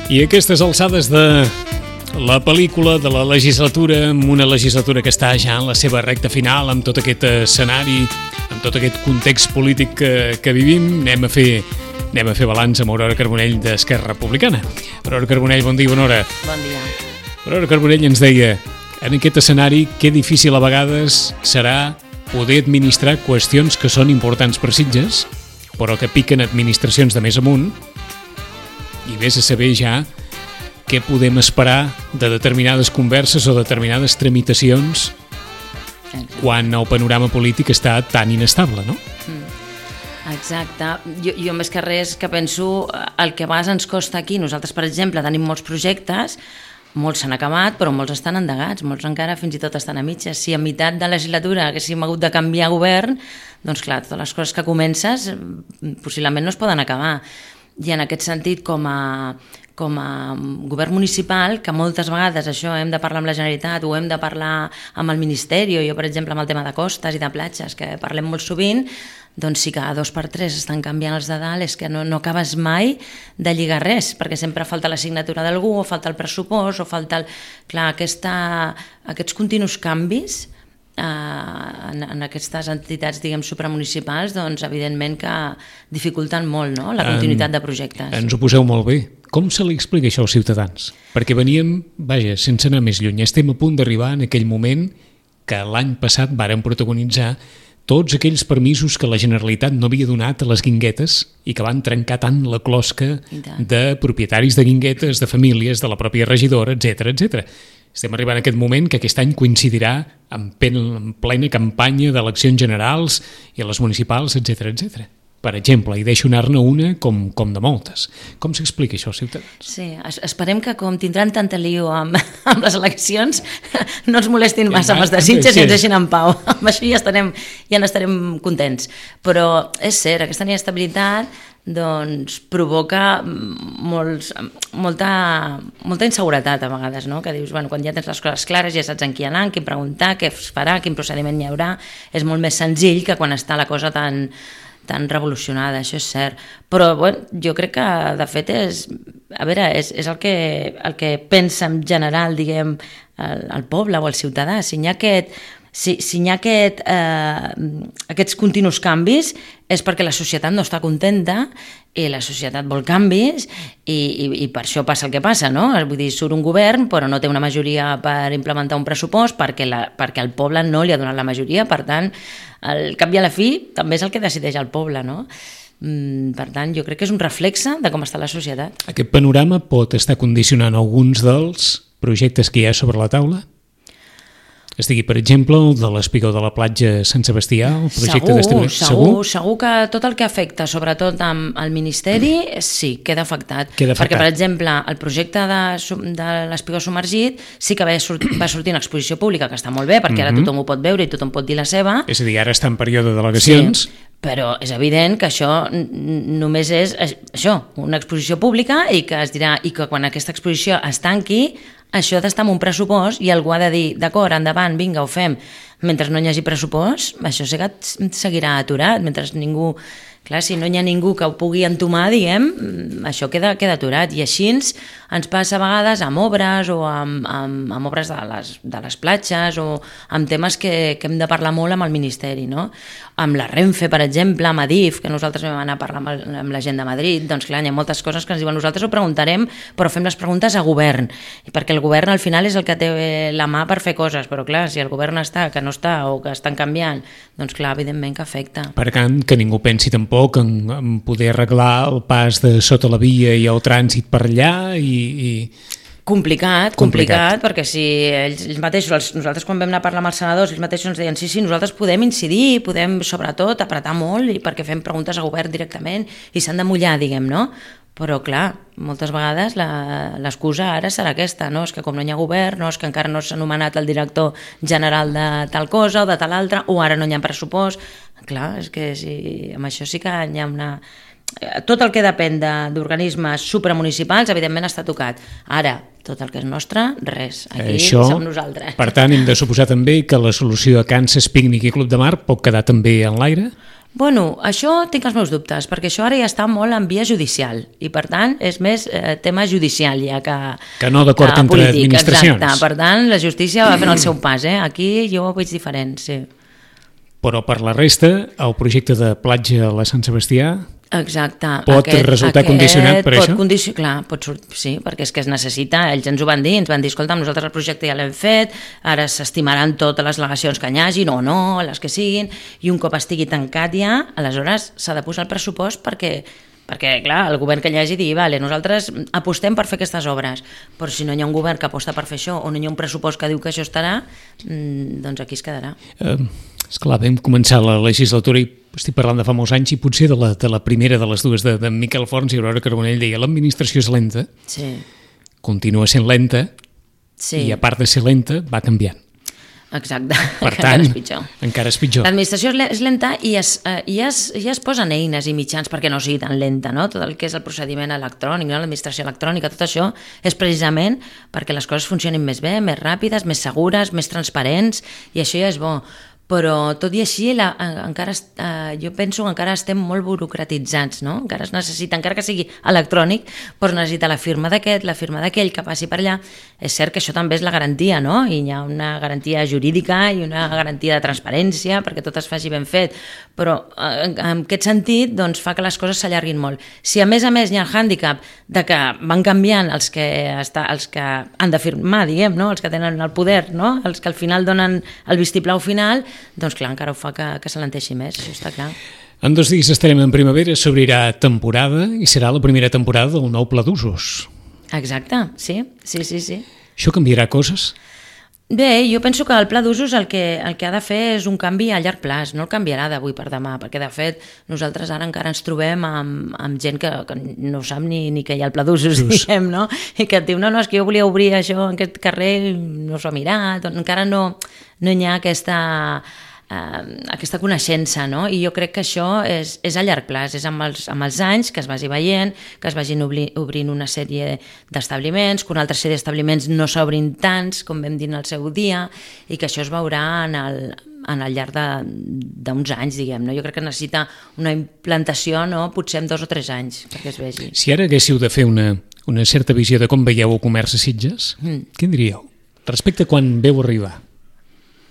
I aquestes alçades de la pel·lícula, de la legislatura, amb una legislatura que està ja en la seva recta final, amb tot aquest escenari, amb tot aquest context polític que vivim, anem a fer balanç amb Aurora Carbonell d'Esquerra Republicana. Aurora Carbonell, bon dia, bona hora. Bon dia. Aurora Carbonell ens deia, en aquest escenari, que difícil a vegades serà poder administrar qüestions que són importants per Sitges, però que piquen administracions de més amunt, i vés a saber ja què podem esperar de determinades converses o determinades tramitacions quan el panorama polític està tan inestable, no? Exacte. Jo més que res que penso el que a vegades ens costa aquí. Nosaltres, per exemple, tenim molts projectes, molts s'han acabat, però molts estan endegats, molts encara fins i tot estan a mitges. Si a meitat de legislatura haguéssim hagut de canviar govern, doncs clar, totes les coses que comences possiblement no es poden acabar. I en aquest sentit, com a govern municipal, que moltes vegades això hem de parlar amb la Generalitat o hem de parlar amb el Ministeri, o jo, per exemple, amb el tema de costes i de platges, que parlem molt sovint, doncs si cada 2 per 3 estan canviant els de dalt, és que no acabes mai de lligar res, perquè sempre falta la signatura d'algú, o falta el pressupost, o falta Clar, aquests continus canvis en aquestes entitats, diguem, supramunicipals, doncs evidentment que dificulten molt, no?, la continuïtat de projectes. Ens ho poseu molt bé. Com se li explica això als ciutadans? Perquè veníem, sense anar més lluny, estem a punt d'arribar en aquell moment que l'any passat vàrem protagonitzar tots aquells permisos que la Generalitat no havia donat a les guinguetes i que van trencar tant la closca de propietaris de guinguetes, de famílies, de la pròpia regidora, etc. Estem arribant a aquest moment que aquest any coincidirà en plena campanya d'eleccions generals i a les municipals, etc. Per exemple, i deixo anar-ne una com de moltes. Com s'explica això als ciutadans? Sí, esperem que com tindran tanta lío amb les eleccions no ens molestin massa amb els desitges i ens deixin en pau. Amb això ja n'estarem contents. Però és cert, aquesta inestabilitat doncs provoca molta inseguretat a vegades, no? Que dius, quan ja tens les coses clares, ja saps en qui anar, en qui preguntar, què es farà, quin procediment hi haurà, és molt més senzill que quan està la cosa tan revolucionada, això és cert. Però jo crec que, de fet, és el que pensa en general, diguem, el poble o el ciutadà. Si n'hi ha aquests continus canvis és perquè la societat no està contenta i la societat vol canvis i per això passa el que passa, no? Vull dir, surt un govern però no té una majoria per implementar un pressupost perquè el poble no li ha donat la majoria, per tant, al cap i a la fi també és el que decideix el poble, no? Per tant, jo crec que és un reflexe de com està la societat. Aquest panorama pot estar condicionant alguns dels projectes que hi ha sobre la taula? Es digui, per exemple, el de l'Espigó de la Platja Sant Sebastià, el projecte d'estimació. Segur que tot el que afecta, sobretot al Ministeri, sí, queda afectat. Perquè, per exemple, el projecte de l'Espigó submergit sí que va sortir en exposició pública, que està molt bé, perquè ara tothom ho pot veure i tothom pot dir la seva. És a dir, ara està en període d'al·legacions. Sí, però és evident que això només és això, una exposició pública i que es dirà, i que quan aquesta exposició es tanqui, això ha d'estar en un pressupost i algú ha de dir, d'acord, endavant, vinga, ho fem. Mentre no hi hagi pressupost, això seguirà aturat, mentre ningú... Clar, si no hi ha ningú que ho pugui entomar, diguem, això queda aturat. I així ens passa a vegades amb obres o amb obres de les platges o amb temes que hem de parlar molt amb el Ministeri, no? Amb la Renfe, per exemple, amb Adif, que nosaltres vam anar a parlar amb la gent de Madrid, doncs clar, hi ha moltes coses que ens diuen nosaltres ho preguntarem, però fem les preguntes a govern, perquè el govern al final és el que té la mà per fer coses, però clar, si el govern està, que no està o que estan canviant, doncs clar, evidentment que afecta. Per tant, que ningú pensi tampoc en poder arreglar el pas de sota la via i el trànsit per allà i... Complicat, perquè si ells mateixos, nosaltres quan vam anar a parlar amb els senadors, ells mateixos ens deien sí, nosaltres podem incidir, podem sobretot apretar molt i perquè fem preguntes al govern directament i s'han de mullar, diguem, no? Però, clar, moltes vegades l'excusa ara serà aquesta, no? És que com no hi ha govern, no? És que encara no s'ha nomenat el director general de tal cosa o de tal altra, o ara no hi ha pressupost. Clar, és que amb això sí que hi ha una... Tot el que depèn d'organismes supramunicipals, evidentment, està tocat. Ara, tot el que és nostre, res. Aquí som nosaltres. Per tant, hem de suposar també que la solució a Kansas, Pícnic i Club de Mar pot quedar també en l'aire? Bueno, això tinc els meus dubtes, perquè això ara ja està molt en via judicial i, per tant, és més tema judicial ja que no d'acord entre polític, administracions. Exacte. Per tant, la justícia va fent el seu pas. Aquí jo ho veig diferent, sí. Però per la resta, el projecte de platja a la Sant Sebastià... Exacte. Pot resultar condicionat per això? Clar, sí, perquè és que es necessita, ells ens ho van dir, escolta, nosaltres el projecte ja l'hem fet, ara s'estimaran totes les al·legacions que hi hagin o no, les que siguin, i un cop estigui tancat ja, aleshores s'ha de posar el pressupost perquè, clar, el govern que hi hagi dir, vale, nosaltres apostem per fer aquestes obres, però si no hi ha un govern que aposta per fer això o no hi ha un pressupost que diu que això estarà, doncs aquí es quedarà. Esclar, vam començar la legislatura i estic parlant de fa molts anys i potser de la primera de les dues de Miquel Forns i Aurora Carbonell deia l'administració és lenta, sí. Continua sent lenta sí. I a part de ser lenta va canviant. Exacte, per tant, encara és pitjor. L'administració és lenta i es posen eines i mitjans perquè no sigui tan lenta, no? Tot el que és el procediment electrònic, no? L'administració electrònica, tot això és precisament perquè les coses funcionin més bé, més ràpides, més segures, més transparents, i això ja és bo. Però tot i així jo penso que encara estem molt burocratitzats, no? Encara es necessita, encara que sigui electrònic, però es necessita la firma d'aquest, la firma d'aquell, que passi per allà. És cert que això també és la garantia, no? I hi ha una garantia jurídica i una garantia de transparència perquè tot es faci ben fet, però en aquest sentit doncs, fa que les coses s'allarguin molt. Si a més hi ha el hàndicap de que van canviant els que han de firmar, diguem, no? Els que tenen el poder, no? Els que al final donen el vistiplau final, doncs clar, encara ho fa que s'alenteixi més, això està clar. En 2 dies estarem en primavera, s'obrirà temporada i serà la primera temporada del nou Pla d'Usos. Exacte, sí. Això canviarà coses? Bé, jo penso que el Pla d'Usos el que ha de fer és un canvi a llarg plaç, no el canviarà d'avui per demà, perquè de fet nosaltres ara encara ens trobem amb gent que no sap ni que hi ha el Pla d'Usos, diguem, no? I que et diu, no, és que jo volia obrir això en aquest carrer, no s'ho ha mirat, encara no hi ha aquesta coneixença, no? I jo crec que això és a llarg plaç, és amb els anys que es vagi veient, que es vagin obrint una sèrie d'establiments, que una altra sèrie d'establiments no s'obrin tants, com vam dir en el seu dia, i que això es veurà en el llarg d'uns anys, diguem, no? Jo crec que necessita una implantació, no? Potser en 2 o 3 anys, perquè es vegi. Si ara haguéssiu de fer una certa visió de com veieu el comerç a Sitges, què diríeu? Respecte a quan veu arribar?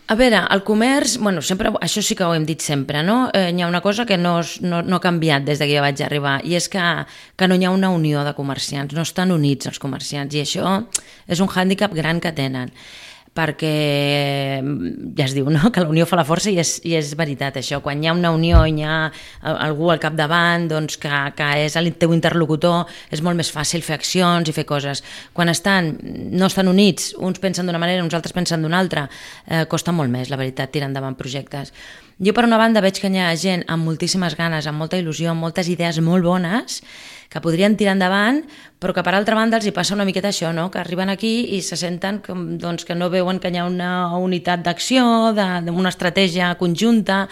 A veure, el comerç, sempre, això sí que ho hem dit sempre, no? Hi ha una cosa que no ha canviat des que jo vaig arribar, i és que no hi ha una unió de comerciants, no estan units els comerciants, i això és un hàndicap gran que tenen, perquè ja es diu, no?, que la unió fa la força, i és veritat això. Quan hi ha una unió i hi ha algú al capdavant doncs, que és el teu interlocutor, és molt més fàcil fer accions i fer coses. Quan no estan units, uns pensen d'una manera, uns altres pensen d'una altra, costa molt més, la veritat, tirar endavant projectes. Jo, per una banda, veig que hi ha gent amb moltíssimes ganes, amb molta il·lusió, amb moltes idees molt bones, que podrien tirar endavant, però que, per altra banda, els hi passa una miqueta això, no? Que arriben aquí i se senten que no veuen que hi ha una unitat d'acció, una estratègia conjunta,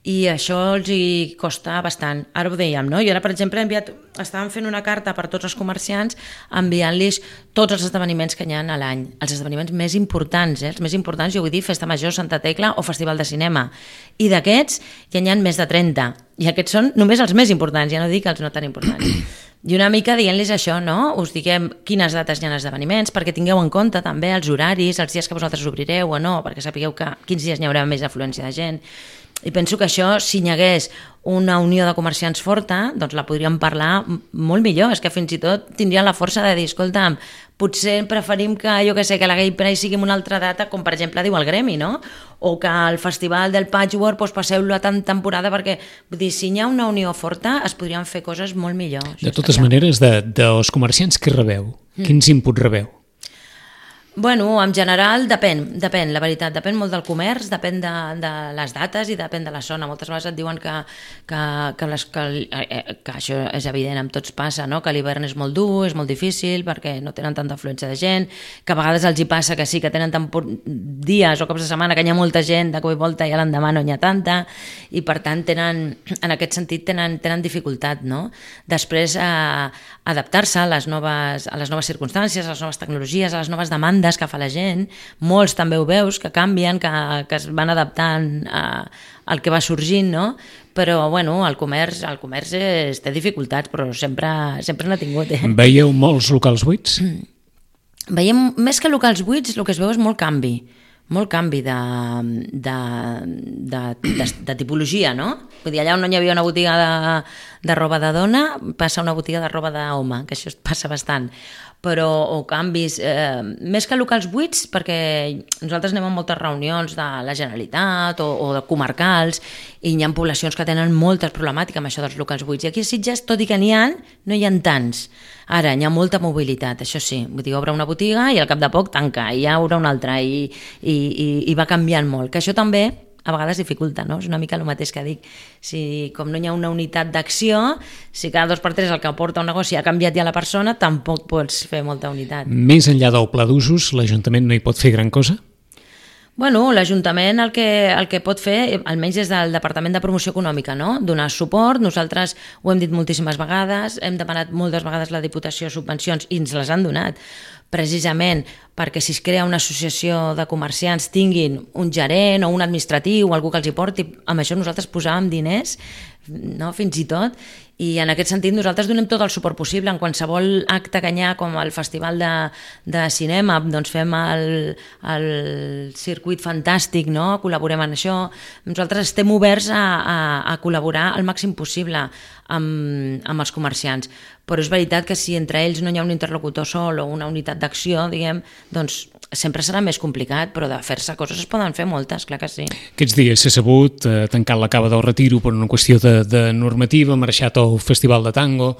i això els hi costa bastant. Ara ho dèiem, no? Jo ara, per exemple, estàvem fent una carta per tots els comerciants enviant-los tots els esdeveniments que hi ha a l'any, els esdeveniments més importants, els més importants, jo vull dir Festa Major, Santa Tecla o Festival de Cinema, i d'aquests ja n'hi ha més de 30, i aquests són només els més importants, ja no dic els no tan importants. I una mica dient-los això, no? Us diguem quines dates hi ha esdeveniments, perquè tingueu en compte també els horaris, els dies que vosaltres obrireu o no, perquè sapigueu quins dies n'hi haurà més afluència de gent. I penso que això, si hi hagués una unió de comerciants forta, doncs la podríem parlar molt millor. És que fins i tot tindrien la força de dir, escolta'm, potser preferim que, que la Gay Pride sigui en una altra data, com per exemple diu el gremi, no? O que el festival del Patchwork passeu-lo a tant temporada, perquè vull dir, si hi ha una unió forta es podrien fer coses molt millors. De totes maneres, dels comerciants que rebeu, quins inputs rebeu? Bueno, en general depèn, la veritat, depèn molt del comerç, depèn de les dates i depèn de la zona. Moltes vegades et diuen que això és evident, amb tots passa, no? Que l'hivern és molt dur, és molt difícil perquè no tenen tanta afluència de gent, que a vegades els hi passa que sí, que tenen dies o cops de setmana que hi ha molta gent, de cop i volta i a l'endemà no n'hi ha tanta, i per tant en aquest sentit tenen dificultat, no? Després adaptar-se a les noves circumstàncies, a les noves tecnologies, a les noves demandes que fa la gent. Molts també ho veus, que canvien, que es van adaptant al que va sorgint, no? Però, bueno, el comerç té dificultats, però sempre n'ha tingut. Veieu molts locals buits? Veiem, més que locals buits, el que es veu és molt canvi de tipologia, no? Vull dir, allà on no hi havia una botiga de roba de dona, passa una botiga de roba d'home, que això passa bastant. Però, o canvis, més que locals buits, perquè nosaltres anem a moltes reunions de la Generalitat o de comarcals, i hi ha poblacions que tenen moltes problemàtiques amb això dels locals buits. I aquí a Sitges, tot i que n'hi ha, no hi ha tants. Ara, hi ha molta mobilitat, això sí. Vull dir, obre una botiga i al cap de poc tanca, i ja obre una altra, i va canviant molt. Que això també a vegades dificulta, no? És una mica el mateix que dic. Si com no hi ha una unitat d'acció, si cada 2x3 el que porta un negoci ha canviat ja la persona, tampoc pots fer molta unitat. Més enllà del pla d'usos, l'Ajuntament no hi pot fer gran cosa? Bueno, l'Ajuntament el que pot fer, almenys des del Departament de Promoció Econòmica, no? Donar suport. Nosaltres ho hem dit moltíssimes vegades, hem demanat moltes vegades la Diputació subvencions i ens les han donat, precisament perquè si es crea una associació de comerciants tinguin un gerent o un administratiu o algú que els hi porti. Amb això nosaltres posàvem diners, no? Fins i tot, i en aquest sentit nosaltres donem tot el suport possible. En qualsevol acte que hi ha, com el Festival de Cinema, doncs fem el circuit fantàstic, no? Col·laborem en això. Nosaltres estem oberts a col·laborar al màxim possible amb els comerciants, però és veritat que si entre ells no hi ha un interlocutor sol o una unitat d'acció, diguem, doncs sempre serà més complicat, però de fer-se coses es poden fer moltes, clar que sí. Aquests dies s'ha sabut, tancat la cava del Retiro per una qüestió de normativa, marxat al Festival de Tango.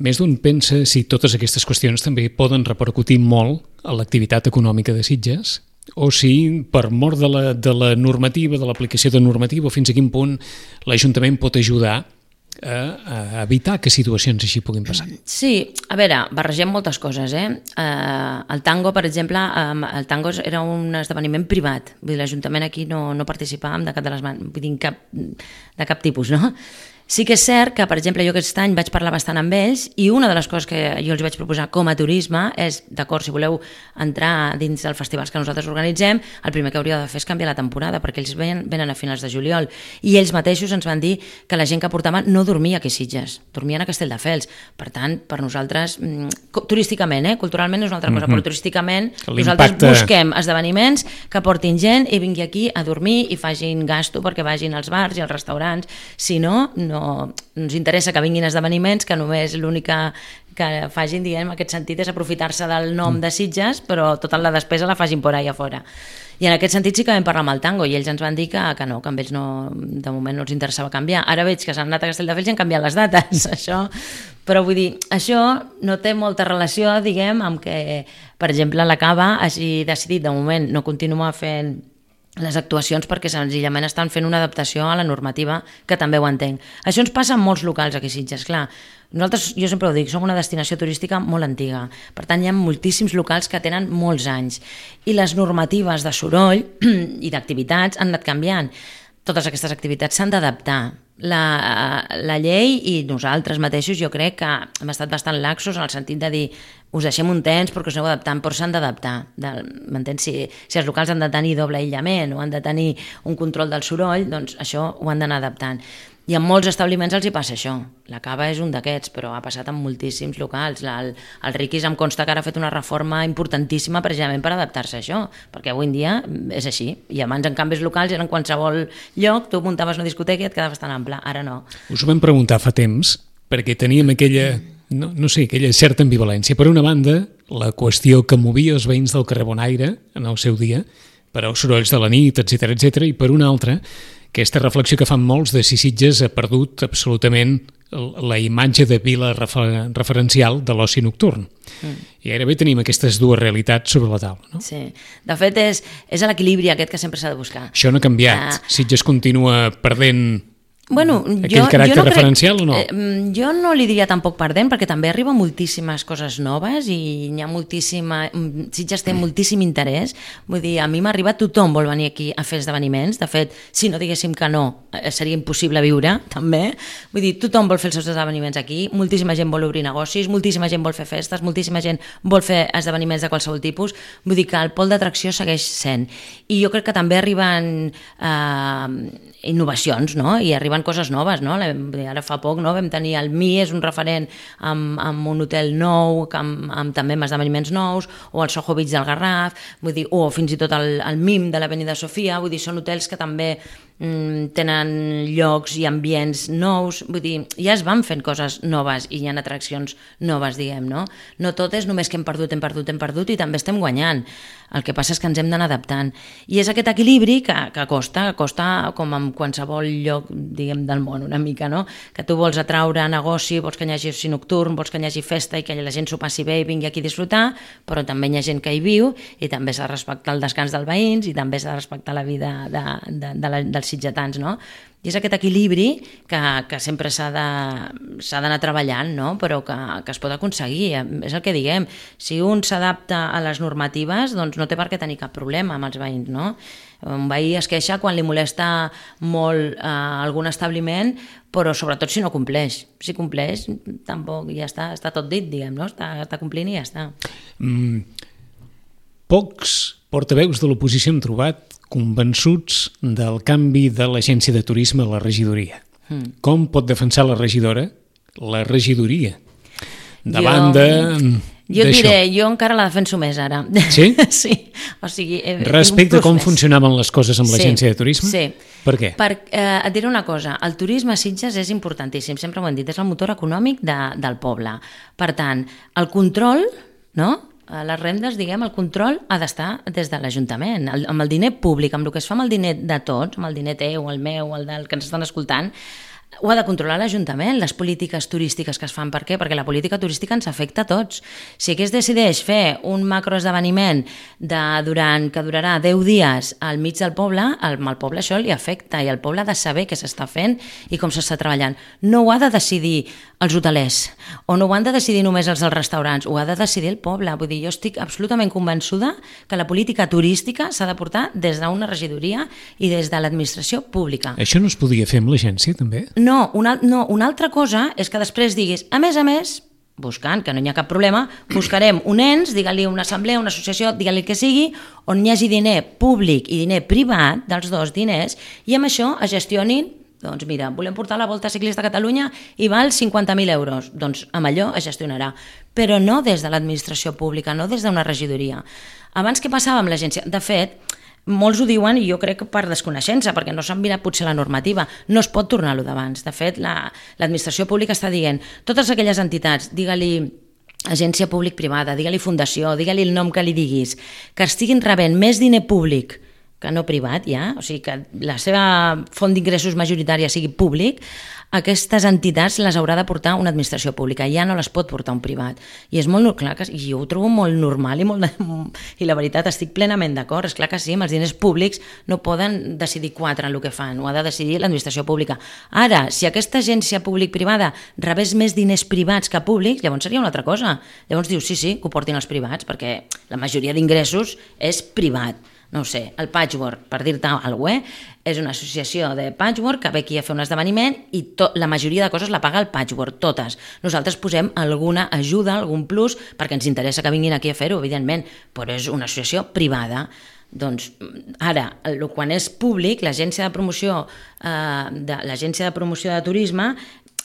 Més d'un pensa si totes aquestes qüestions també poden repercutir molt a l'activitat econòmica de Sitges, o si per mort de la normativa, de l'aplicació de normativa, fins a quin punt l'Ajuntament pot ajudar a evitar que situacions així puguin passar. Sí, a veure, barregem moltes coses, el tango, per exemple, el tango era un esdeveniment privat, vull dir, l'Ajuntament aquí no participàvem de cap tipus, no? Sí que és cert que, per exemple, jo aquest any vaig parlar bastant amb ells i una de les coses que jo els vaig proposar com a turisme és, d'acord, si voleu entrar dins dels festivals que nosaltres organitzem, el primer que hauríeu de fer és canviar la temporada, perquè ells venen a finals de juliol, i ells mateixos ens van dir que la gent que portava no dormia aquí a Sitges, dormien a Castelldefels. Per tant, per nosaltres, turísticament, culturalment és una altra cosa, però turísticament nosaltres busquem esdeveniments que portin gent i vingui aquí a dormir i facin gasto perquè vagin als bars i als restaurants. Si no, no ens interessa que vinguin esdeveniments que només l'única que facin, diguem, en aquest sentit és aprofitar-se del nom de Sitges, però tota la despesa la facin por ahí a fora. I en aquest sentit sí que vam parlar amb el tango i ells ens van dir que no, que amb ells no, de moment no els interessava canviar. Ara veig que s'han anat a Castelldefels i han canviat les dates, això. Però vull dir, això no té molta relació, diguem, amb que, per exemple, la Cava hagi decidit de moment no continuar fent les actuacions perquè senzillament estan fent una adaptació a la normativa, que també ho entenc. Això ens passa en molts locals aquí a Sitges, clar. Nosaltres, jo sempre ho dic, som una destinació turística molt antiga, per tant hi ha moltíssims locals que tenen molts anys i les normatives de soroll i d'activitats han anat canviant. Totes aquestes activitats s'han d'adaptar. La llei i nosaltres mateixos jo crec que hem estat bastant laxos en el sentit de dir us deixem un temps perquè us aneu adaptant, però s'han d'adaptar. M'entens? Si els locals han de tenir doble aïllament o han de tenir un control del soroll, doncs això ho han d'anar adaptant. I en molts establiments els hi passa això. La Cava és un d'aquests, però ha passat en moltíssims locals. El Riquis em consta que ara ha fet una reforma importantíssima precisament per adaptar-se a això, perquè avui en dia és així. I abans, en canvis locals, eren qualsevol lloc, tu muntaves una discoteca i et quedaves tan ample. Ara no. Us ho vam preguntar fa temps, perquè teníem aquella, aquella certa ambivalència. Per una banda, la qüestió que movia els veïns del carrer Bonaire en el seu dia, per als sorolls de la nit, etc, i per una altra, aquesta reflexió que fan molts de si Sitges ha perdut absolutament la imatge de vila referencial de l'oci nocturn. I gairebé tenim aquestes dues realitats sobre la taula. No? Sí. De fet, és l'equilibri aquest que sempre s'ha de buscar. Això no ha canviat. Sitges continua perdent aquell no caràcter referencial o no? Jo no li diria tampoc perdent, perquè també arriba moltíssimes coses noves i n'hi ha Sitges té moltíssim interès. Vull dir, a mi m'ha arribat, tothom vol venir aquí a fer esdeveniments. De fet, si no diguéssim que no, seria impossible viure, també. Vull dir, tothom vol fer els seus esdeveniments aquí, moltíssima gent vol obrir negocis, moltíssima gent vol fer festes, moltíssima gent vol fer esdeveniments de qualsevol tipus. Vull dir que el pol d'atracció segueix sent. I jo crec que també arriben innovacions, no? I arriben coses noves, no? Ara fa poc vam tenir el Mi, és un referent amb un hotel nou, amb també amb esdeveniments nous, o el Soho Beach del Garraf, vull dir, o fins i tot el MIM de l'Avenida Sofia, vull dir, són hotels que també tenen llocs i ambients nous, vull dir, ja es van fent coses noves i hi ha atraccions noves, diguem, no? No tot és només que hem perdut i també estem guanyant. El que passa és que ens hem d'anar adaptant. I és aquest equilibri que costa com en qualsevol lloc, diguem, del món, una mica, no? Que tu vols atraure negoci, vols que hi hagi oci nocturn, vols que hi hagi festa i que la gent s'ho passi bé i vingui aquí a disfrutar, però també hi ha gent que hi viu i també s'ha de respectar el descans dels veïns i també s'ha de respectar la vida dels sitgetans, no? I és aquest equilibri que sempre s'ha d'anar treballant, no? Però que es pot aconseguir. És el que diguem, si un s'adapta a les normatives, doncs no té per què tenir cap problema amb els veïns, no? Un veí es queixa quan li molesta molt algun establiment, però sobretot si no compleix. Si compleix, tampoc ja està tot dit, diguem, no? Està complint i ja està. Pocs portaveus de l'oposició hem trobat convençuts del canvi de l'agència de turisme a la regidoria. Com pot defensar la regidoria davant Jo diré, jo encara la defenso més ara. Sí? Sí. O sigui, respecte a com funcionaven les coses amb l'agència de turisme? Sí. Per què? Et diré una cosa, el turisme a Sitges és importantíssim, sempre ho hem dit, és el motor econòmic del poble. Per tant, el control, no?, les rendes, diguem, el control ha d'estar des de l'Ajuntament, amb el diner públic, amb el que es fa amb el diner de tots, amb el diner teu, el meu, el del que ens estan escoltant, ho ha de controlar l'Ajuntament, les polítiques turístiques que es fan. Per què? Perquè la política turística ens afecta a tots. Si aquí es decideix fer un macroesdeveniment que durarà 10 dies al mig del poble, al poble això li afecta i el poble ha de saber què s'està fent i com s'està treballant. No ho ha de decidir els hotelers o no ho han de decidir només els dels restaurants, ho ha de decidir el poble. Vull dir, jo estic absolutament convençuda que la política turística s'ha de portar des d'una regidoria i des de l'administració pública. Això no es podia fer amb l'agència, també? No, una altra cosa és que després diguis, a més, buscant, que no hi ha cap problema, buscarem un ens, digue-li una assemblea, una associació, digue-li el que sigui, on hi hagi diner públic i diner privat, dels dos diners, i amb això es gestionin, doncs mira, volem portar la Volta Ciclista a Catalunya i val 50.000 euros, doncs amb allò es gestionarà, però no des de l'administració pública, no des d'una regidoria. Abans què passava amb l'agència? De fet, molts ho diuen i jo crec que per desconeixença, perquè no s'han mirat potser la normativa, no es pot tornar a lo d'abans. De fet, l'administració pública està dient totes aquelles entitats, digue-li agència públic-privada, digue-li fundació, digue-li el nom que li diguis, que estiguin rebent més diner públic que no privat ja, o sigui que la seva font d'ingressos majoritària sigui públic, aquestes entitats les haurà de portar una administració pública, ja no les pot portar un privat. I és molt clar, i jo ho trobo molt normal i la veritat estic plenament d'acord, és clar que sí, amb els diners públics no poden decidir quatre en el que fan, ho ha de decidir l'administració pública. Ara, si aquesta agència públic-privada rebés més diners privats que públics, llavors seria una altra cosa. Llavors dius, sí, que ho portin els privats, perquè la majoria d'ingressos és privat. No ho sé, el Patchwork, per dir-te alguna cosa, és una associació de Patchwork que ve aquí a fer un esdeveniment i la majoria de coses la paga el Patchwork, totes. Nosaltres posem alguna ajuda, algun plus, perquè ens interessa que vinguin aquí a fer-ho, evidentment, però és una associació privada. Doncs ara, quan és públic, l'agència de promoció de turisme,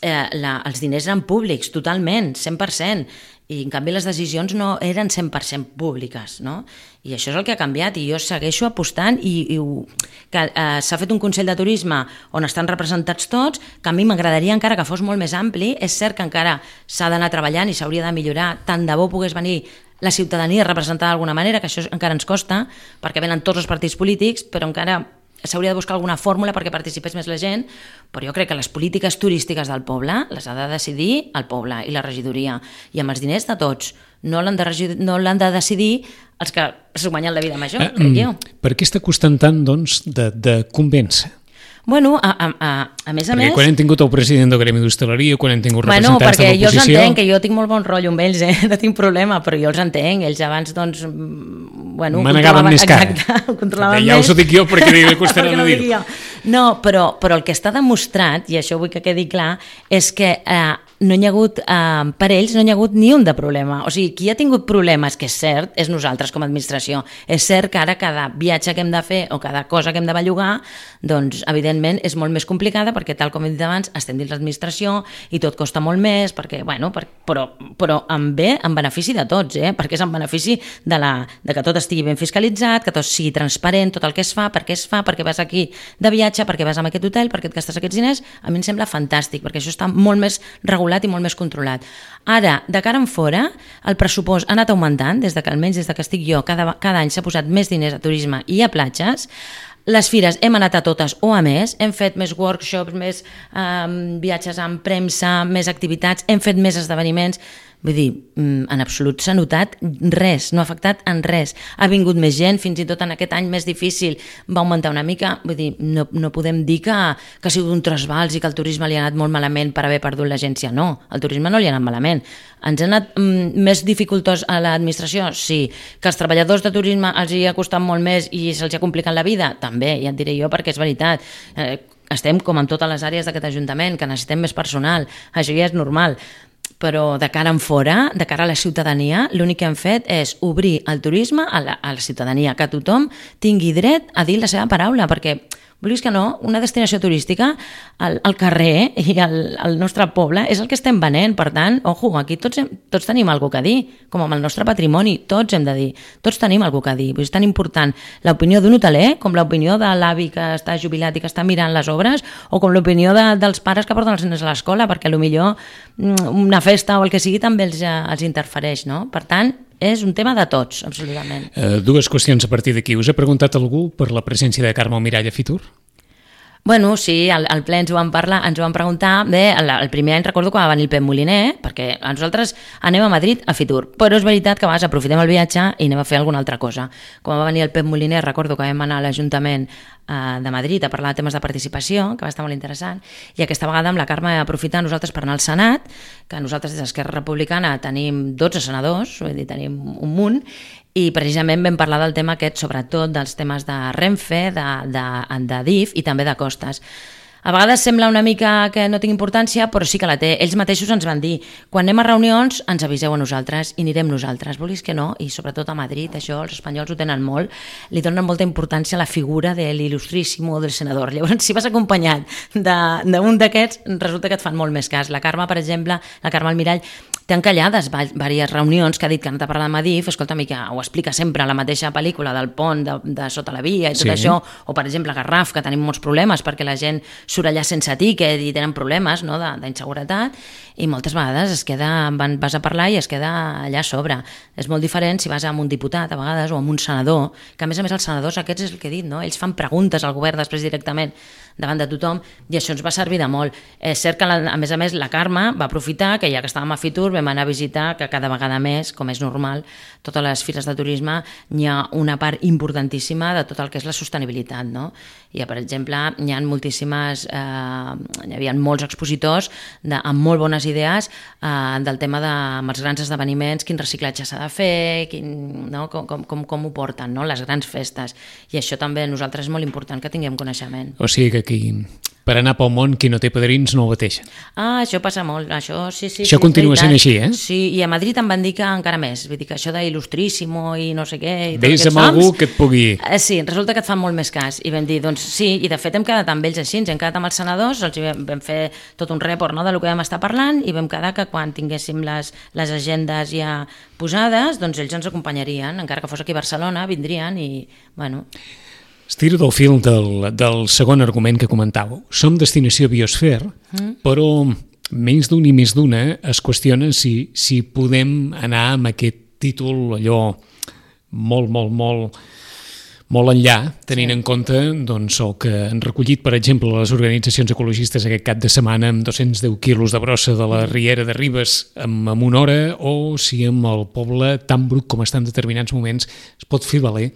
els diners eren públics, totalment, 100%, i en canvi les decisions no eren 100% públiques, no? I això és el que ha canviat i jo segueixo apostant que s'ha fet un Consell de Turisme on estan representats tots, que a mi m'agradaria encara que fos molt més ampli. És cert que encara s'ha d'anar treballant i s'hauria de millorar, tant de bo pogués venir la ciutadania representada d'alguna manera, que això encara ens costa, perquè venen tots els partits polítics, però encara s'hauria de buscar alguna fórmula perquè participés més la gent, però jo crec que les polítiques turístiques del poble les ha de decidir el poble i la regidoria, i amb els diners de tots. No l'han de decidir els que es guanyen la vida amb això, crec jo. Per què està costant tant, doncs, de convèncer? Bueno, a més a més... Perquè quan hem tingut el president del Gremi d'Hostaleria, quan hem tingut representants de l'oposició... Perquè jo els entenc, que jo tinc molt bon rotllo amb ells, no tinc problema, però jo els entenc. Ells abans, doncs, bueno... Manegaven més cara. Exacte, controlaven més. Ja us ho dic jo, perquè li costarà no dir-ho. No, però el que està demostrat, i això vull que quedi clar, és que no hi ha hagut, per ells no hi ha hagut ni un de problema. O sigui, qui ha tingut problemes, que és cert, és nosaltres com a administració. És cert que ara cada viatge que hem de fer o cada cosa que hem de bellugar, doncs, evidentment, és molt més complicada perquè, tal com he dit abans, estem dins l'administració i tot costa molt més, perquè, bueno, però en benefici de tots, perquè és en benefici de que tot estigui ben fiscalitzat, que tot sigui transparent, tot el que es fa, per què es fa, perquè vas aquí de viatge, perquè vas a aquest hotel, perquè et gastes aquests diners. A mi em sembla fantàstic, perquè això està molt més regulat i molt més controlat. Ara, de cara en fora, el pressupost ha anat augmentant, almenys des que estic jo, cada any s'ha posat més diners a turisme i a platges. Les fires hem anat a totes o a més, hem fet més workshops, més viatges amb premsa, més activitats, hem fet més esdeveniments. Vull dir, en absolut s'ha notat res, no ha afectat en res. Ha vingut més gent, fins i tot en aquest any més difícil va augmentar una mica. Vull dir, no podem dir que ha sigut un trasbals i que el turisme li ha anat molt malament per haver perdut l'agència. No, al turisme no li ha anat malament. Ens ha anat més dificultós a l'administració? Sí. Que als treballadors de turisme els hi ha costat molt més i se'ls ha complicat la vida? També, ja et diré jo, perquè és veritat. Estem com en totes les àrees d'aquest ajuntament, que necessitem més personal. Això ja és normal. Però de cara en fora, de cara a la ciutadania, l'únic que hem fet és obrir el turisme a la ciutadania, que tothom tingui dret a dir la seva paraula, perquè, vulguis que no, una destinació turística, el carrer i el nostre poble és el que estem venent. Per tant, ojo, aquí tots tenim alguna cosa a dir, com amb el nostre patrimoni, tots hem de dir, tots tenim alguna cosa a dir. És tan important l'opinió d'un hoteler com l'opinió de l'avi que està jubilat i que està mirant les obres, o com l'opinió dels pares que porten els nens a l'escola, perquè potser una festa o el que sigui també els interfereix, no? Per tant, és un tema de tots, absolutament. Dues qüestions a partir d'aquí. Us ha preguntat algú per la presència de Carme Almirall a Fitur? Bueno, sí, al ple ens ho van parlar, ens ho van preguntar. Bé, el primer any recordo que va venir el Pep Moliner, perquè nosaltres anem a Madrid a Fitur, però és veritat que a vegades aprofitem el viatge i anem a fer alguna altra cosa. Quan va venir el Pep Moliner, recordo que vam anar a l'Ajuntament de Madrid a parlar de temes de participació, que va estar molt interessant, i aquesta vegada amb la Carme aprofitar nosaltres per anar al Senat, que nosaltres des d'Esquerra Republicana tenim 12 senadors, vull dir, tenim un munt, i precisament vam parlar del tema aquest, sobretot dels temes de Renfe, de DIF i també de costes. A vegades sembla una mica que no té importància, però sí que la té. Ells mateixos ens van dir, quan anem a reunions ens aviseu a nosaltres i anirem nosaltres. Vulguis que no, i sobretot a Madrid, això els espanyols ho tenen molt, li donen molta importància a la figura de l'il·lustríssimo del senador. Llavors, si vas acompanyat d'un d'aquests, resulta que et fan molt més cas. La Carme, per exemple, la Carme Almirall, té encallades diverses reunions que ha dit que han de parlar de Madif, escolta, que ho explica sempre la mateixa pel·lícula del pont de sota la via i tot això, o per exemple Garraf, que tenim molts problemes perquè la gent surt allà sense tiquet i tenen problemes, no, d'inseguretat, i moltes vegades vas a parlar i es queda allà a sobre. És molt diferent si vas amb un diputat a vegades o amb un senador, que a més els senadors aquests és el que he dit, no? Ells fan preguntes al govern després directament davant de tothom, i això ens va servir de molt. És cert que, a més, la Carme va aprofitar que ja que estàvem a Fitur vam anar a visitar, que cada vegada més, com és normal, totes les fires de turisme hi ha una part importantíssima de tot el que és la sostenibilitat, no? Per exemple, hi ha moltíssimes, hi havia molts expositors amb molt bones idees del tema amb els grans esdeveniments, quin reciclatge s'ha de fer, com ho porten, no? Les grans festes. I això també a nosaltres és molt important que tinguem coneixement. O sigui que aquí, per anar pel món, qui no té padrins no ho bateixen. Això passa molt, això sí. Això continua sent així, eh? Sí, i a Madrid em van dir que encara més, vull dir que això d'il·lustríssimo i no sé què... Ves amb algú que et pugui... Sí, resulta que et fan molt més cas, i vam dir, doncs sí, i de fet hem quedat amb ells així, hem quedat amb els senadors, vam fer tot un report, no, del que vam estar parlant, i vam quedar que quan tinguéssim les agendes ja posades, doncs ells ens acompanyarien, encara que fos aquí a Barcelona, vindrien i, bueno... Estiro del fil del segon argument que comentàveu. Som destinació biosfera, però menys d'un i més d'una es qüestiona si podem anar amb aquest títol allò molt molt enllà, tenint en compte doncs, el que han recollit, per exemple, les organitzacions ecologistes aquest cap de setmana amb 210 quilos de brossa de la Riera de Ribes en una hora, o si amb el poble tan brut com està en determinats moments es pot fer valer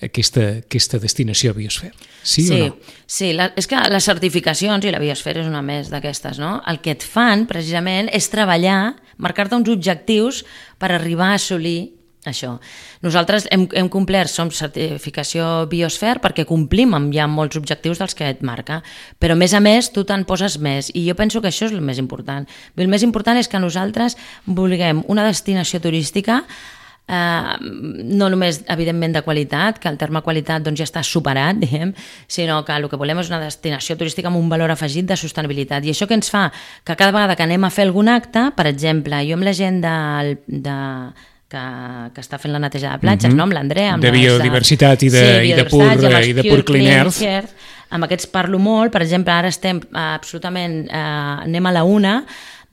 aquesta destinació a biosfera. Sí o no? Sí, és que les certificacions, i la biosfera és una més d'aquestes, no? El que et fan, precisament, és treballar, marcar-te uns objectius per arribar a assolir això. Nosaltres hem complert, som certificació biosfera perquè complim amb ja molts objectius dels que et marca, però a més tu te'n poses més, i jo penso que això és el més important. El més important és que nosaltres vulguem una destinació turística no només, evidentment, de qualitat, que el terme qualitat doncs, ja està superat, diguem, sinó que el que volem és una destinació turística amb un valor afegit de sostenibilitat. I això que ens fa que cada vegada que anem a fer algun acte, per exemple, jo amb la gent que està fent la neteja de platges, no? Amb l'Andrea, de biodiversitat i de Pur Clean Earth, amb aquests parlo molt. Per exemple, ara estem absolutament anem a la una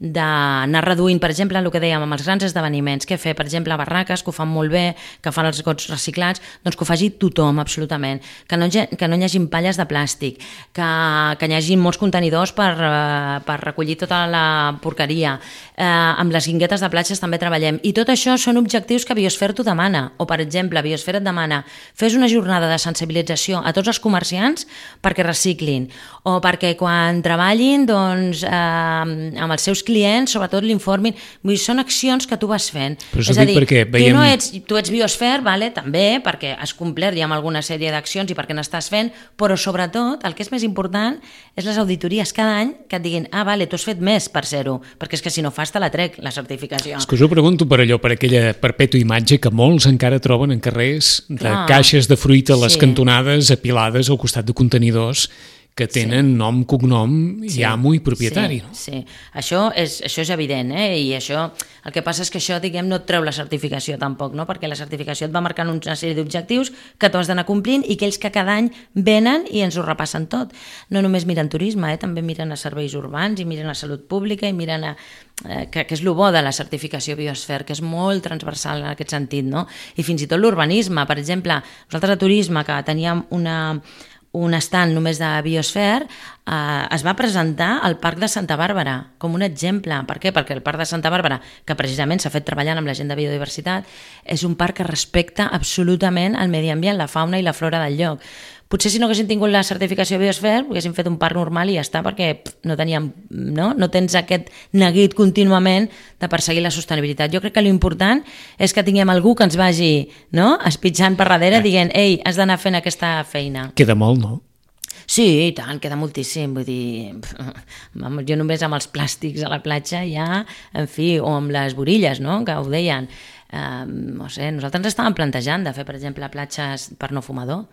d'anar reduint, per exemple, el que dèiem amb els grans esdeveniments, què fer, per exemple, a barraques, que ho fan molt bé, que fan els gots reciclats, doncs que ho faci tothom, absolutament, que no hi hagi palles de plàstic, que hi hagi molts contenidors per recollir tota la porqueria, amb les guinguetes de platges també treballem, i tot això són objectius que Biosfera t'ho demana, o per exemple, Biosfera et demana fes una jornada de sensibilització a tots els comerciants perquè reciclin, o perquè quan treballin doncs, amb els seus clients, sobretot l'informin. Vull dir, són accions que tu vas fent. És a dir, tu ets biosfera, vale, també, perquè has complert ja amb alguna sèrie d'accions i perquè n'estàs fent, però sobretot, el que és més important és les auditories cada any que et diguin, vale, tu has fet més per ser-ho, perquè és que si no fas te la trec, la certificació. És que us ho pregunto per allò, per aquella perpètua imatge que molts encara troben en carrers de caixes de fruita a les cantonades apilades al costat de contenidors que tenen nom, cognom i amo i propietari. Sí. Això és evident, i això, el que passa és que això, diguem, no et treu la certificació tampoc, no? Perquè la certificació et va marcant una sèrie d'objectius que tu has d'anar complint i que ells que cada any venen i ens ho repassen tot. No només miren turisme, també miren a serveis urbans i miren a salut pública i miren que és el bo de la certificació biosfera, que és molt transversal en aquest sentit, no? I fins i tot l'urbanisme, per exemple, nosaltres a turisme, que teníem un stand només de biosfera, es va presentar al Parc de Santa Bàrbara com un exemple. Per què? Perquè el Parc de Santa Bàrbara, que precisament s'ha fet treballant amb la gent de biodiversitat, és un parc que respecta absolutament el medi ambient, la fauna i la flora del lloc. Potser si no haguessin tingut la certificació biosfera haguessin fet un parc normal i ja està, perquè no teníem, no tens aquest neguit contínuament de perseguir la sostenibilitat. Jo crec que l'important és que tinguem algú que ens vagi espitjant per darrere dient, ei, has d'anar fent aquesta feina. Queda molt, no? Sí, i tant, queda moltíssim, vull dir, jo només amb els plàstics a la platja ja, en fi, o amb les borilles, no?, que ho deien, no sé, nosaltres ens estàvem plantejant de fer, per exemple, platges per no fumador,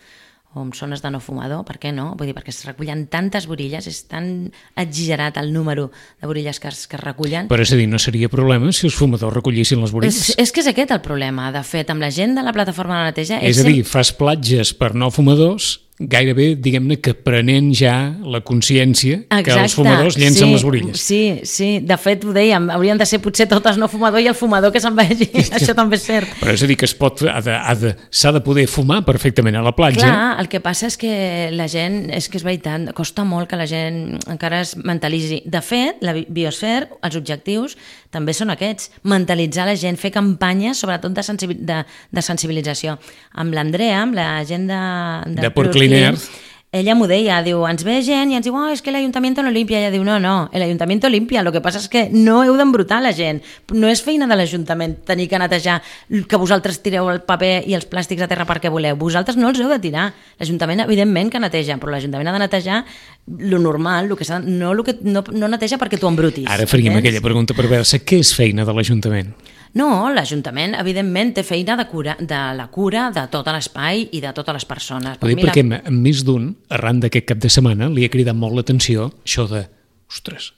o amb zones de no fumador, per què no? Vull dir, perquè es recullen tantes borilles, és tan exagerat el número de borilles que es recullen. Però és a dir, no seria problema si els fumadors recollissin les borilles? És que és aquest el problema, de fet, amb la gent de la plataforma de neteja... És a dir, fas platges per no fumadors, gairebé, diguem-ne, que prenent ja la consciència que els fumadors llencen les borilles. Sí, de fet ho dèiem, haurien de ser potser totes no fumador i el fumador que se'n vagi, això també és cert. Però és a dir, que s'ha de poder fumar perfectament a la platja. Clar, el que passa és que la gent, és que és veritat, costa molt que la gent encara es mentalitzi. De fet, la biosfera, els objectius també són aquests, mentalitzar la gent, fer campanyes, sobretot de sensibilització. Amb l'Andrea, amb la gent de Pur Clean Earth, ella m'ho deia, diu, ens ve gent i ens diu, és que l'Ayuntamiento no limpia. Ella diu, no, l'Ayuntamiento limpia, lo que passa és que no heu d'embrutar la gent. No és feina de l'Ajuntament tenir que netejar, que vosaltres tireu el paper i els plàstics a terra perquè voleu. Vosaltres no els heu de tirar. L'Ajuntament, evidentment, que neteja, però l'Ajuntament ha de netejar lo normal, no neteja perquè tu embrutis. Ara faríem aquella pregunta perversa, què és feina de l'Ajuntament? No, l'Ajuntament, evidentment, té feina de la cura de tot l'espai i de totes les persones. Perquè més d'un, arran d'aquest cap de setmana, li ha cridat molt l'atenció això de,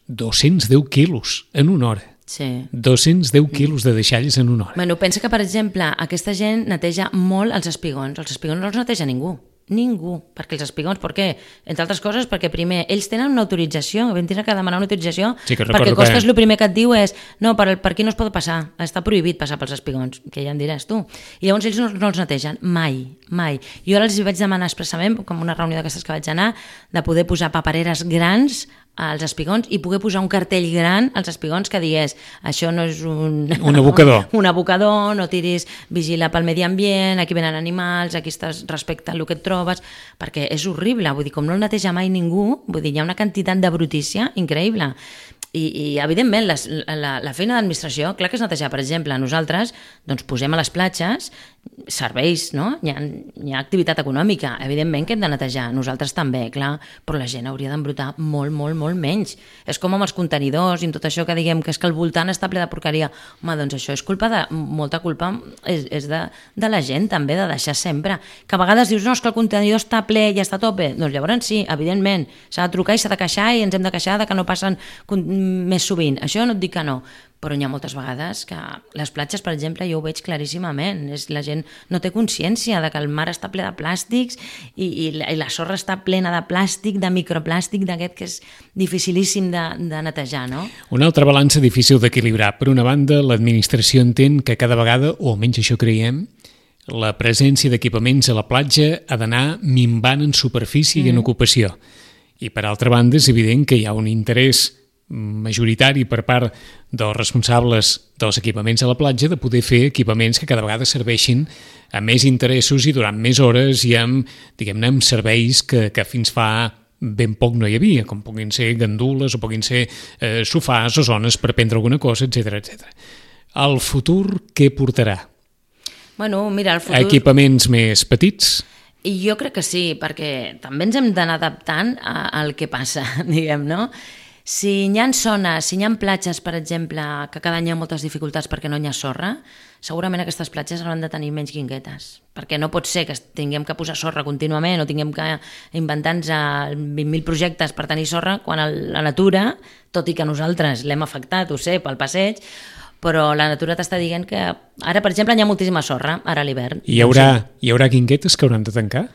210 quilos en una hora. Sí. 210 quilos de deixalles en una hora. Pensa que, per exemple, aquesta gent neteja molt els espigons. Els espigons no els neteja ningú. Ningú, perquè els espigons, per què? Entre altres coses, perquè primer, ells tenen una autorització, vam tenir que demanar una autorització, perquè Costes el primer que et diu és no, per aquí no es pot passar, està prohibit passar pels espigons, que ja em diràs tu. I llavors ells no els netegen, mai. Jo ara els vaig demanar expressament, com una reunió d'aquestes que vaig anar, de poder posar papereres grans als espigons i poder posar un cartell gran als espigons que digués això no és un abocador, un abocador, no tiris, vigila pel medi ambient, aquí venen animals, aquí estàs respecte el que et trobes, perquè és horrible, vull dir, com no el neteja mai ningú, vull dir, hi ha una quantitat de brutícia increïble. I evidentment, la feina d'administració, clar que és netejar. Per exemple, nosaltres doncs, posem a les platges serveis, no? Hi ha activitat econòmica, evidentment que hem de netejar, nosaltres també, clar, però la gent hauria d'embrutar molt menys. És com amb els contenidors i tot això que diguem que és que al voltant està ple de porqueria. Home, doncs això és molta culpa és de la gent també, de deixar sempre. Que a vegades dius, no, és que el contenidor està ple i està a tope. Doncs llavors sí, evidentment, s'ha de trucar i s'ha de queixar i ens hem de queixar de que no passen més sovint. Això no et dic que no, però hi ha moltes vegades que les platges, per exemple, jo ho veig claríssimament. La gent no té consciència de que el mar està ple de plàstics i la sorra està plena de plàstic, de microplàstic, d'aquest que és dificilíssim de netejar, no? Una altra balança difícil d'equilibrar. Per una banda, l'administració entén que cada vegada, o almenys això creiem, la presència d'equipaments a la platja ha d'anar minvant en superfície i en ocupació. I per altra banda, és evident que hi ha un interès majoritari per part dels responsables dels equipaments a la platja de poder fer equipaments que cada vegada serveixin a més interessos i durant més hores i amb, diguem-ne, amb serveis que fins fa ben poc no hi havia, com puguin ser gandules o puguin ser sofàs o zones per prendre alguna cosa, etc. El futur què portarà? Bueno, mira, el futur... Equipaments més petits? I jo crec que sí, perquè també ens hem d'anar adaptant al que passa, diguem, no? Si hi ha zones, si hi ha platges, per exemple, que cada any hi ha moltes dificultats perquè no hi ha sorra, segurament aquestes platges hauran de tenir menys guinguetes, perquè no pot ser que tinguem que posar sorra contínuament o tinguem que inventar-nos 20.000 projectes per tenir sorra quan la natura, tot i que nosaltres l'hem afectat, ho sé, pel passeig, però la natura t'està dient que ara, per exemple, hi ha moltíssima sorra, ara a l'hivern. Hi haurà guinguetes que hauran de tancar?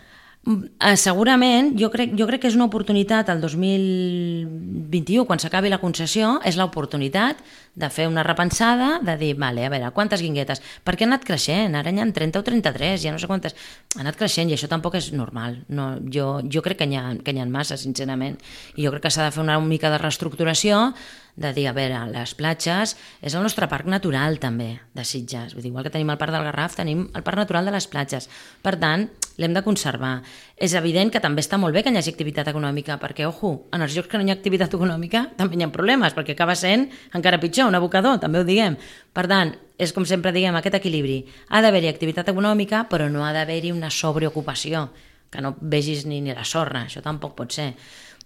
Segurament, jo crec que és una oportunitat el 2021, quan s'acabi la concessió, és l'oportunitat de fer una repensada, de dir, vale, a veure, quantes guinguetes? Perquè han anat creixent, ara n'hi ha 30 o 33, ja no sé quantes, han anat creixent i això tampoc és normal. No, jo crec que n'hi ha massa, sincerament, i jo crec que s'ha de fer una mica de reestructuració, de dir, a veure, les platges és el nostre parc natural també de Sitges, vull dir, igual que tenim el parc del Garraf, tenim el parc natural de les platges, per tant l'hem de conservar. És evident que també està molt bé que hi hagi activitat econòmica, perquè, ojo, en els llocs que no hi ha activitat econòmica també hi ha problemes, perquè acaba sent encara pitjor, un abocador, també ho diguem. Per tant, és com sempre diguem, aquest equilibri. Ha d'haver-hi activitat econòmica, però no ha d'haver-hi una sobreocupació, que no vegis ni la sorra, això tampoc pot ser.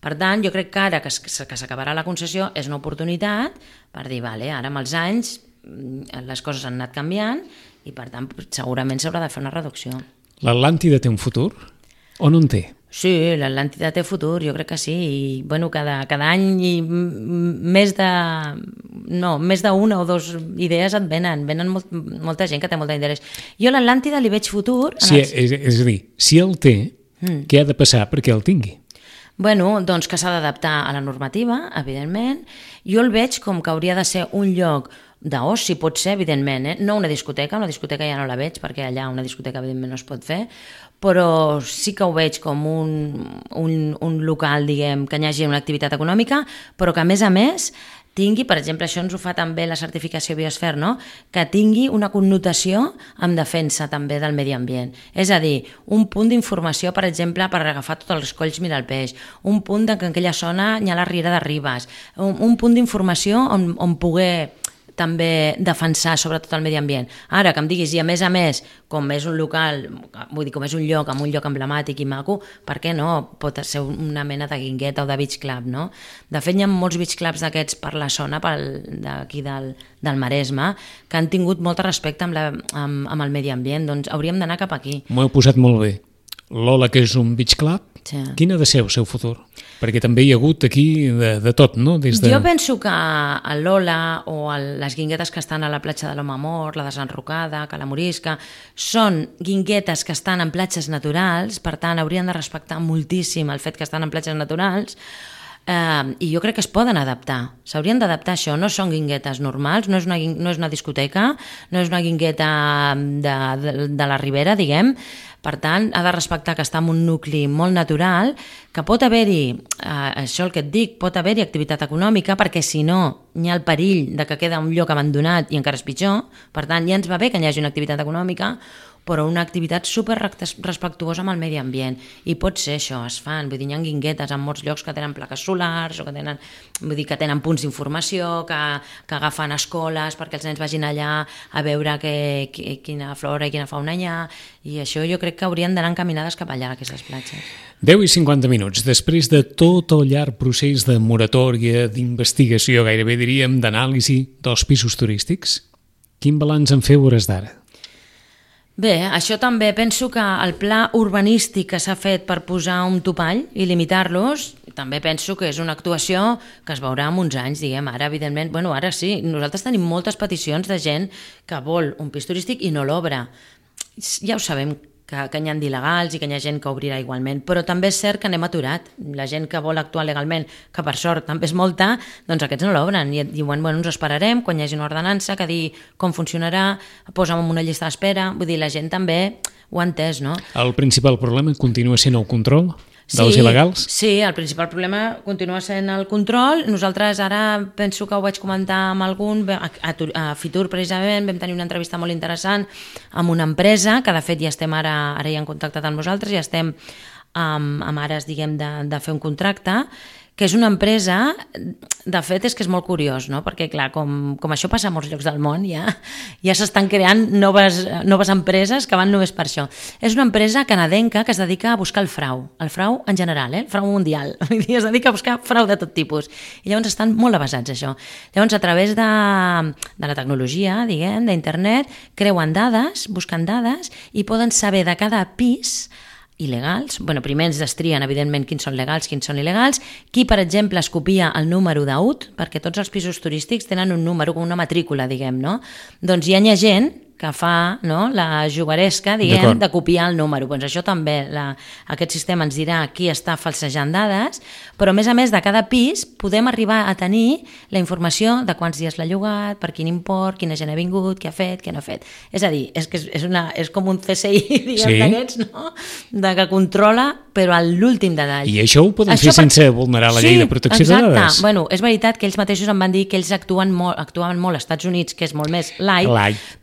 Per tant, jo crec que ara que s'acabarà la concessió és una oportunitat per dir, vale, ara amb els anys les coses han anat canviant i per tant segurament s'haurà de fer una reducció. L'Atlàntida té un futur o no en té? Sí, l'Atlàntida té futur, jo crec que sí. I, bueno, cada any més d'una o dues idees et venen molta gent que té molt d'interès. Jo a l'Atlàntida li veig futur... Sí, és a dir, si el té, què ha de passar perquè el tingui? Bueno, doncs que s'ha d'adaptar a la normativa, evidentment. Jo el veig com que hauria de ser un lloc d'oci, pot ser, evidentment, no una discoteca ja no la veig, perquè allà una discoteca evidentment no es pot fer, però sí que ho veig com un local, diguem, que hi hagi una activitat econòmica, però que a més tingui, per exemple, això ens ho fa també la certificació Biosfer, no? Que tingui una connotació amb defensa també del medi ambient. És a dir, un punt d'informació, per exemple, per agafar tots els colls mirar el peix, un punt que en aquella zona hi ha la riera de Ribes, un punt d'informació on poder també defensar sobretot el medi ambient. Ara, que em diguis, i a més, com és un local, vull dir, com és un lloc amb un lloc emblemàtic i maco, per què no? Pot ser una mena de guingueta o de beach club, no? De fet, hi ha molts beach clubs d'aquests per la zona d'aquí del Maresme que han tingut molt respecte amb el medi ambient, doncs hauríem d'anar cap aquí. M'ho heu posat molt bé. l'Ola, que és un beach club, Sí. quin ha de ser el seu futur? Perquè també hi ha hagut aquí de tot, no? Jo penso que l'Ola o les guinguetes que estan a la platja de l'Home Mort, la desenrocada, que la Morisca, són guinguetes que estan en platges naturals, per tant haurien de respectar moltíssim el fet que estan en platges naturals, i jo crec que es poden adaptar, s'haurien d'adaptar a això, no són guinguetes normals, no és una discoteca, no és una guingueta de la Ribera, diguem. Per tant, ha de respectar que està en un nucli molt natural, que pot haver-hi, això el que et dic, pot haver-hi activitat econòmica, perquè si no hi ha el perill de que queda un lloc abandonat i encara és pitjor. Per tant, ja ens va bé que hi hagi una activitat econòmica, però una activitat super respectuosa amb el medi ambient. I pot ser això, es fan, vull dir, hi ha guinguetes en molts llocs que tenen plaques solars, o que tenen, vull dir, que tenen punts d'informació, que agafen escoles perquè els nens vagin allà a veure quina flora i quina fauna hi ha, i això jo crec que haurien d'anar encaminades cap allà, aquestes platges. 10 i 50 minuts. Després de tot el llarg procés de moratòria, d'investigació, gairebé diríem, d'anàlisi dels pisos turístics, quin balanç en feu hores d'ara? Bé, això també penso que el pla urbanístic que s'ha fet per posar un topall i limitar-los, també penso que és una actuació que es veurà en uns anys, diguem. Ara, evidentment, bueno, ara sí, nosaltres tenim moltes peticions de gent que vol un pis turístic i no l'obre. Ja ho sabem, que hi ha d'il·legals i que hi ha gent que obrirà igualment, però també és cert que n'hem aturat. La gent que vol actuar legalment, que per sort també és molta, doncs aquests no l'obren i diuen, bueno, ens esperarem quan hi hagi una ordenança que digui com funcionarà, posa'm en una llista d'espera, vull dir, la gent també ho ha entès, no? El principal problema continua sent el control dels il·legals? Sí, el principal problema continua sent el control. Nosaltres ara penso que ho vaig comentar amb algun, a Fitur precisament vam tenir una entrevista molt interessant amb una empresa que de fet ja estem ara ja han contactat amb nosaltres, ja estem amb ares, diguem, de fer un contracte, que és una empresa, de fet és que és molt curiós, no? Perquè clar, com això passa a molts llocs del món, ja s'estan creant noves empreses que van només per això. És una empresa canadenca que es dedica a buscar el frau en general, el frau mundial, es dedica a buscar frau de tot tipus, i llavors estan molt avasats a això. Llavors a través de la tecnologia, diguem, d'internet, creuen dades, busquen dades i poden saber de cada pis il·legals, primer ens destrien evidentment quins són legals, quins són il·legals, qui per exemple es copia el número d'UT, perquè tots els pisos turístics tenen un número, una matrícula, diguem, no? Doncs hi ha gent que fa, no, la jugaresca, diguem, de copiar el número. Doncs això també, aquest sistema ens dirà qui està falsejant dades, però a més de cada pis podem arribar a tenir la informació de quants dies l'ha llogat, per quin import, quina gent ha vingut, què ha fet, què no ha fet. És a dir, és com un CSI, diguem, d'aquests, no? De que controla, però a l'últim detall. I això ho poden fer sense vulnerar la llei de protecció de dades? Sí, exacte. És veritat que ells mateixos em van dir que ells actuaven molt als Estats Units, que és molt més light,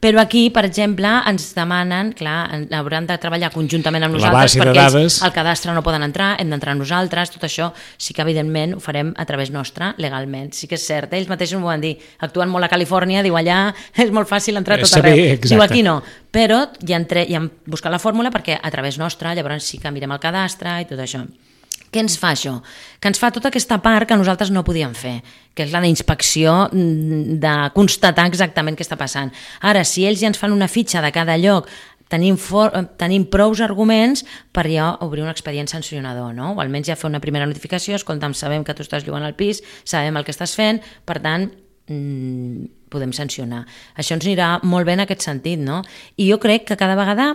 però aquí, per exemple, ens demanen, clar, hauran de treballar conjuntament amb nosaltres perquè ells al cadastre no poden entrar, hem d'entrar nosaltres, tot això sí que evidentment ho farem a través nostre, legalment. Sí que és cert, ells mateixos m'ho van dir, actuen molt a Califòrnia, diu allà és molt fàcil entrar tot arreu, diu aquí no, però ja hem buscat la fórmula perquè a través nostre llavors sí que mirem el cadastre i tot això. Què ens fa això? Que ens fa tota aquesta part que nosaltres no podíem fer, que és la d'inspecció, de constatar exactament què està passant. Ara, si ells ja ens fan una fitxa de cada lloc, tenim prous arguments per ja obrir un expedient sancionador, no? O almenys ja fer una primera notificació, escolta'm, sabem que tu estàs llogant al pis, sabem el que estàs fent, per tant, podem sancionar. Això ens anirà molt bé en aquest sentit, no? I jo crec que cada vegada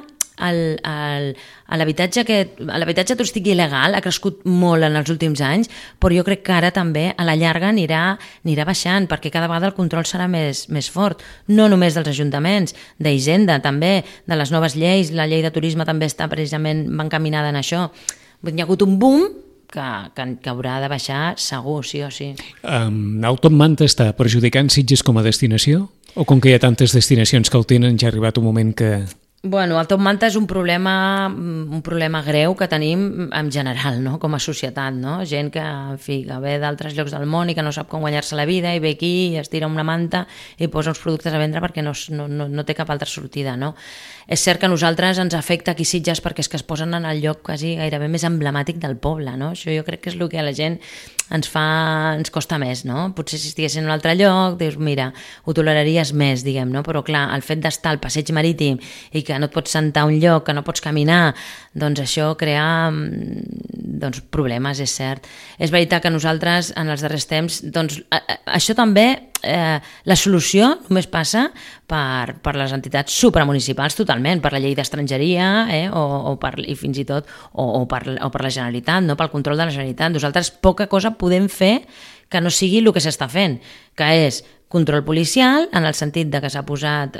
l'habitatge turístic il·legal ha crescut molt en els últims anys, però jo crec que ara també a la llarga anirà baixant, perquè cada vegada el control serà més fort, no només dels ajuntaments, d'Hisenda també, de les noves lleis, la llei de turisme també està precisament encaminada en això. Hi ha hagut un boom que haurà de baixar segur, sí o sí. El Top Manta està perjudicant Sitges com a destinació? O com que hi ha tantes destinacions que el tenen, ja ha arribat un moment que... Bueno, el Top Manta és un problema greu que tenim en general, no? Com a societat, no? Gent que, en fi, que ve d'altres llocs del món i que no sap com guanyar-se la vida i ve aquí i es tira una manta i posa uns productes a vendre perquè no té cap altra sortida, no? És cert que a nosaltres ens afecta aquí Sitges perquè és que es posen en el lloc quasi gairebé més emblemàtic del poble, no? Això jo crec que és el que a la gent ens costa més, no? Potser si estiguessin en un altre lloc, dius, mira, ho toleraries més, diguem, no? Però clar, el fet d'estar al passeig marítim i que no et pots sentar a un lloc, que no pots caminar, doncs això crea doncs, problemes, és cert. És veritat que nosaltres, en els darrers temps, doncs, això també, la solució només passa per les entitats supramunicipals totalment, per la llei d'estrangeria i fins i tot o per la Generalitat, no? Pel control de la Generalitat. Nosaltres poca cosa podem fer que no sigui el que s'està fent, que és control policial, en el sentit de que s'ha posat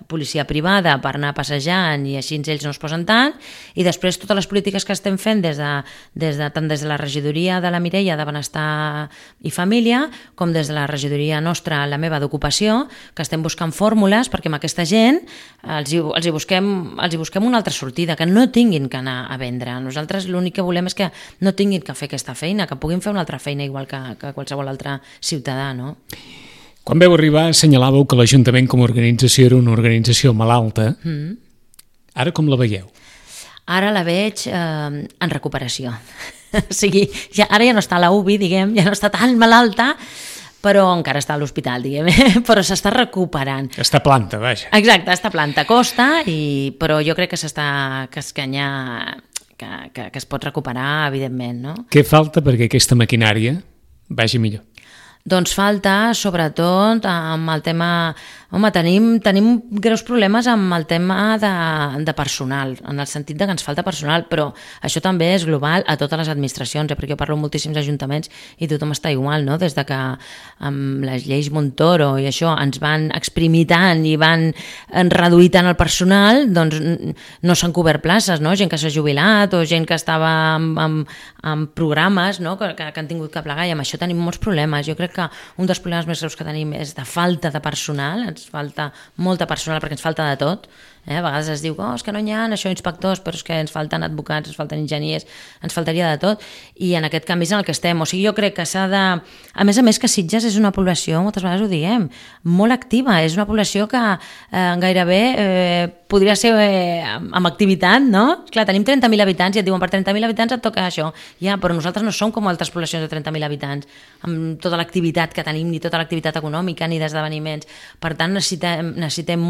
policia privada per anar passejant i així ells no es posen tant, i després totes les polítiques que estem fent tant des de la regidoria de la Mireia de Benestar i Família com des de la regidoria nostra, la meva, d'Ocupació, que estem buscant fórmules perquè amb aquesta gent els hi busquem una altra sortida, que no tinguin que anar a vendre. Nosaltres l'únic que volem és que no tinguin que fer aquesta feina, que puguin fer una altra feina igual que qualsevol altre ciutadà, no? Quan vau arribar assenyalàveu que l'Ajuntament com a organització era una organització malalta. Ara com la veieu? Ara la veig en recuperació. O sigui, ara ja no està a la UBI, diguem, ja no està tan malalta, però encara està a l'hospital, diguem, però s'està recuperant. Està planta, vaja. Exacte, està planta, costa, però jo crec que que es pot recuperar, evidentment, no? Què falta perquè aquesta maquinària vagi millor? Doncs falta, sobretot, amb el tema... Home, tenim greus problemes amb el tema de personal, en el sentit que ens falta personal, però això també és global a totes les administracions, perquè jo parlo amb moltíssims ajuntaments i tothom està igual, no? Des de que amb les lleis Montoro i això ens van exprimir tant i van reduir tant el personal, doncs no s'han cobert places, no? Gent que s'ha jubilat o gent que estava en programes, no? que han tingut que plegar, i amb això tenim molts problemes. Jo crec que un dels problemes més greus que tenim és de falta de personal, ens falta molta personal perquè ens falta de tot. A vegades es diu, és que no hi ha això inspectors, però és que ens falten advocats, ens falten enginyers, ens faltaria de tot, i en aquest canvi és en el que estem. O sigui, jo crec que s'ha de... A més que Sitges és una població, moltes vegades ho diem, molt activa, és una població que gairebé podria ser amb activitat, no? Clar, tenim 30.000 habitants i et diuen per 30.000 habitants et toca això. Ja, però nosaltres no som com altres poblacions de 30.000 habitants, amb tota l'activitat que tenim, ni tota l'activitat econòmica, ni d'esdeveniments. Per tant, necessitem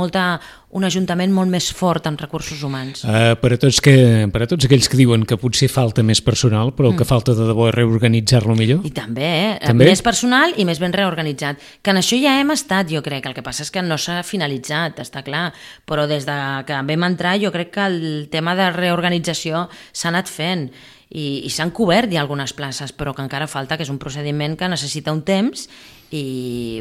un ajuntament molt més fort en recursos humans. Per a tots aquells que diuen que potser falta més personal, però el que falta de debò és reorganitzar-lo millor? I també, més personal i més ben reorganitzat. Que en això ja hem estat, jo crec. El que passa és que no s'ha finalitzat, està clar, però des que vam entrar jo crec que el tema de reorganització s'ha anat fent i s'han cobert ja algunes places, però que encara falta, que és un procediment que necessita un temps,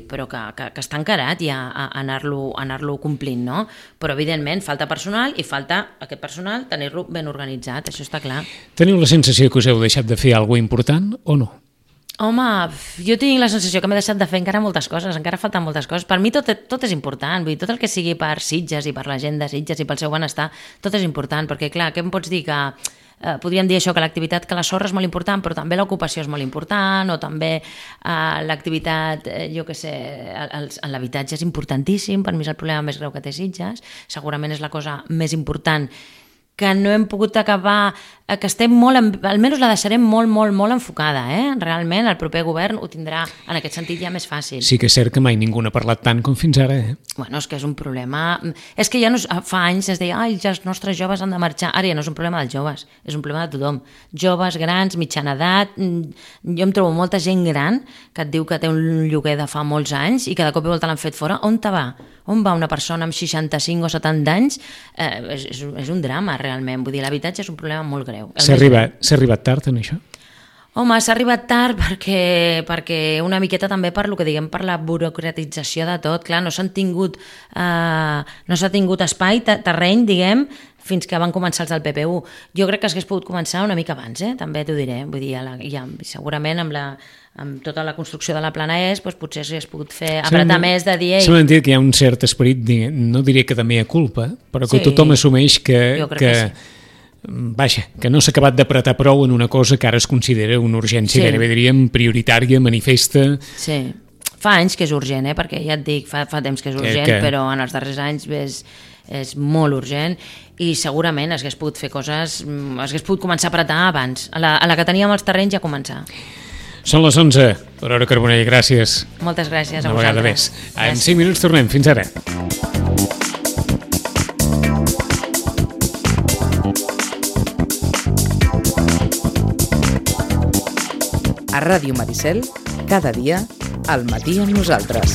però que està encarat ja a anar-lo complint, no? Però evidentment falta personal i falta aquest personal tenir-lo ben organitzat, això està clar. Teniu la sensació que us heu deixat de fer alguna cosa important o no? Home, jo tinc la sensació que m'he deixat de fer encara moltes coses, encara falten moltes coses. Per mi tot és important, vull dir, tot el que sigui per Sitges i per la gent de Sitges i pel seu benestar, tot és important, perquè clar, què em pots dir que... podríem dir això, que l'activitat, que la sorra és molt important, però també l'ocupació és molt important, o també l'activitat, jo què sé, l'habitatge és importantíssim, per mi és el problema més greu que té Sitges, segurament és la cosa més important que no hem pogut acabar, que estem molt, almenys la deixarem molt enfocada, realment el proper govern ho tindrà en aquest sentit ja més fàcil. Sí que és cert que mai ningú n'ha parlat tant com fins ara, Bueno, és que és un problema, és que ja no, fa anys es deia, els nostres joves han de marxar, ara ja no és un problema dels joves, és un problema de tothom, joves, grans, mitjana edat, jo em trobo molta gent gran que et diu que té un lloguer de fa molts anys i que de cop i volta l'han fet fora, on te va? On va una persona amb 65 o 70 anys? És un drama, realment. Vull dir, l'habitatge és un problema molt greu. S'ha arribat tard en això? Home, s'ha arribat tard perquè una miqueta també per lo que diguem, per la burocratització de tot. Clar, no s'ha tingut espai, terreny, diguem, fins que van començar els del PPU. Jo crec que s'hagués pogut començar una mica abans, també t'ho diré. Vull dir, segurament amb tota la construcció de la plana ES, doncs potser s'hagués pogut fer apretar més de dir... S'ha mentit que hi ha un cert esperit, no diré que de mea culpa, però que tothom assumeix que no s'ha acabat d'apretar prou en una cosa que ara es considera una urgència, gairebé diríem prioritària, manifesta... Sí, fa anys que és urgent, perquè ja et dic, fa temps que és urgent, però en els darrers anys és molt urgent i segurament s'hagués pogut fer coses, s'hagués pogut començar a apretar abans. A la que teníem els terrenys ja començar. Són les 11. Aurora Carbonell, gràcies. Moltes gràcies a Una vegada vosaltres. més. En 5 minuts tornem. Fins ara. A Ràdio Maricel, cada dia, al matí amb nosaltres.